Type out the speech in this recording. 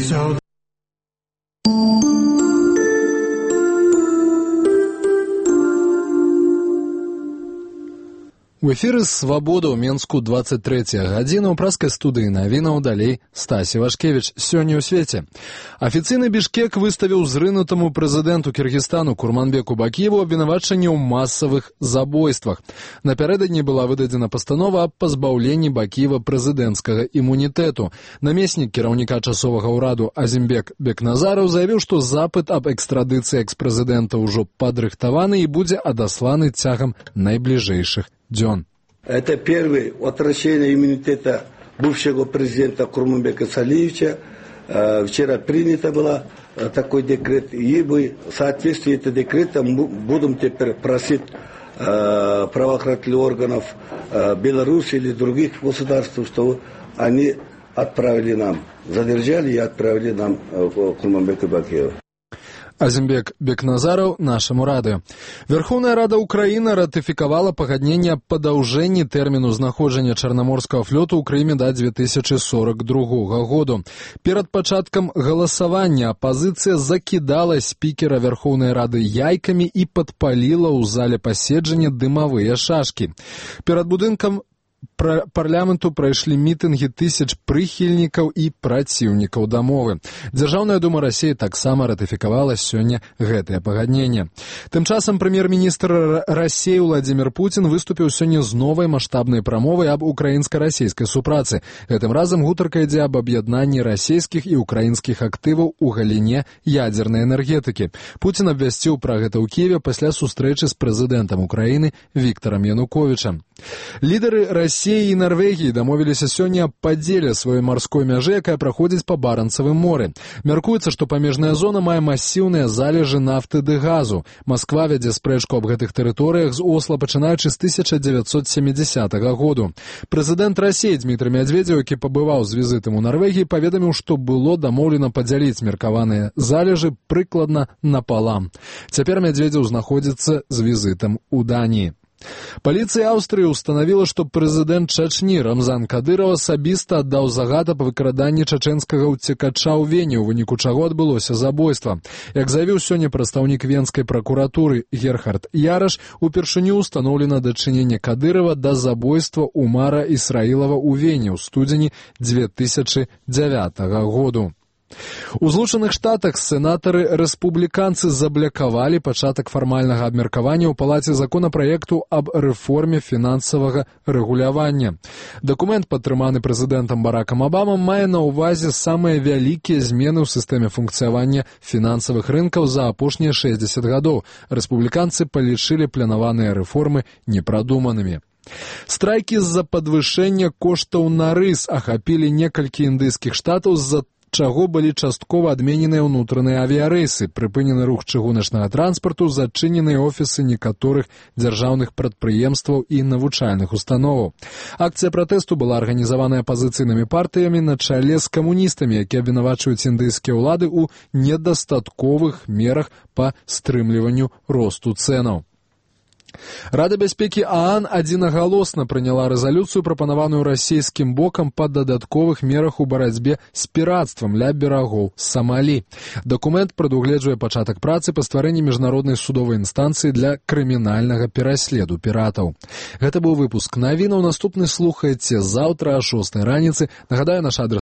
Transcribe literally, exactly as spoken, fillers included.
So У эфіры «Свабода» ў Менску двадцать третья гадзіна ў праскай студыі навінаў далей Стасі Вашкевіч. Сёння ў свеце. Афіцыйны Бішкек выставіў зрынутаму прэзідэнту Кіргізстану Курманбеку Бакіеву абвінавачанне ў масавых забойствах. Напярэдадні была выдадзена пастанова аб пазбаўленні Бакіева прэзідэнцкага імунітэту. Намеснік кіраўніка часовага ўраду Азімбек Бекназараў заявіў, што запыт аб экстрадыцыі экспрэзідэнта ўжо падрыхтаваны і будзе адасланы цягам найбліжэйшых дзён. Это первое возвращение иммунитета бывшего президента Курманбека Салиевича. Вчера принято было такой декрет, и мы в соответствии с этим декретом будем теперь просить правоохранительных органов Беларуси или других государств, чтобы они отправили нам, задержали и отправили нам Курманбека Бакиева. Азімбек Бекназараў нашаму радыё. Верховная Рада Украіны ратыфікавала пагадненне аб падаўжэнні тэрміну знаходжання Чарнаморскага флоту ў Крыме да две тысячи сорок другога году. Перад пачаткам галасавання апазіцыя закідала спікера Верховнай Рады яйкамі і падпаліла ў зале паседжання дымавыя шашкі. Перад будынкам парламенту прайшлі мітынгі тысяч прыхільнікаў і праціўнікаў дамовы. Дзяржаўная дума Расіі таксама ратыфікавала сёння гэтае пагадненне. Тым часам прэм'ер-міністр Расіі Владзімір Пуцін выступіў сёння з новай маштабнай прамовай аб украінска-расійскай супрацы. Гэтым разам гутарка ідзе аб аб'яднанні расійскіх і украінскіх актываў у галіне ядзернай энергетыкі. Пуцін абвясціў пра гэта ў Кіеве пасля сустрэчы з прэзідэнтам Украіны Віктарам Януковічам. Лідары Расіі і Нарвегіі дамовіліся сёння аб падзеле сваёй марской мяжы, якая праходзіць па Баранцавым моры. Мяркуецца, што памежная зона мае масіўныя залежы нафты ды газу. Масква вядзе спрэчку аб гэтых тэрыторыях з Осла, пачынаючы з тысяча дзевяцьсот сямідзясятага году. Прэзідэнт Расіі Дмітрый Медведзеў, які пабываў з візітам у Нарвегіі, паведаміў, што было дамоўлена падзяліць меркаваныя залежы прыкладна напалам. Цяпер Медведзеў знаходзіцца з візітам у Даніі. Паліцыя Аўстрыі ўстанавіла, што прэзідэнт Чачні Рамзан Кадыраў асабіста аддаў загад аб выкраданні чачэнскага ўцекача ў Вене, у выніку чаго адбылося забойства. Як заявіў сёння прадстаўнік венскай пракуратуры Герхард Яраш, упершыню ўстаноўлена дачыненне Кадырава да забойства Умара Ісраілава ў Вене ў студзені две тысячи дзявятага году. У Злучаных Штатах сенатары-рэспубліканцы заблакавалі пачатак фармальнага абмеркавання ў палаце законапраекту аб рэформе фінансавага рэгулявання. Дакумент, падтрыманы прэзідэнтам Баракам Абамам, мае на ўвазе самыя вялікія змены ў сістэме функцыявання фінансавых рынкаў за апошнія шэсцьдзесят гадоў. Рэспубліканцы палічылі планаваныя рэформы непрадуманымі. Страйкі з-за падвышэння коштаў на рыс ахапілі некалькі індыйскіх штатаў з-за чаго былі часткова адмененыя ўнутраныя авіярэйсы, прыпынены рух чыгуначнага транспарту, зачыненыя офісы некаторых дзяржаўных прадпрыемстваў і навучальных установаў. Акцыя пратэсту была арганізаваная апазіцыйнымі партыямі на чале з камуністамі, якія абвінавачваюць індыйскія ўлады ў недастатковых мерах па стрымліванню росту цэнаў. Рада бяспекі ААН адзінагалосна прыняла рэзалюцыю, прапанаваную расійскім бокам па дадатковых мерах у барацьбе з пірацтвам ля берагоў Самалі. Дакумент прадугледжвае пачатак працы па стварэнні міжнароднай судовай інстанцыі для крымінальнага пераследу піратаў. Гэта быў выпуск навінаў. Наступны слухайце заўтра о шостай раніцы. Нагадаю, наш адрес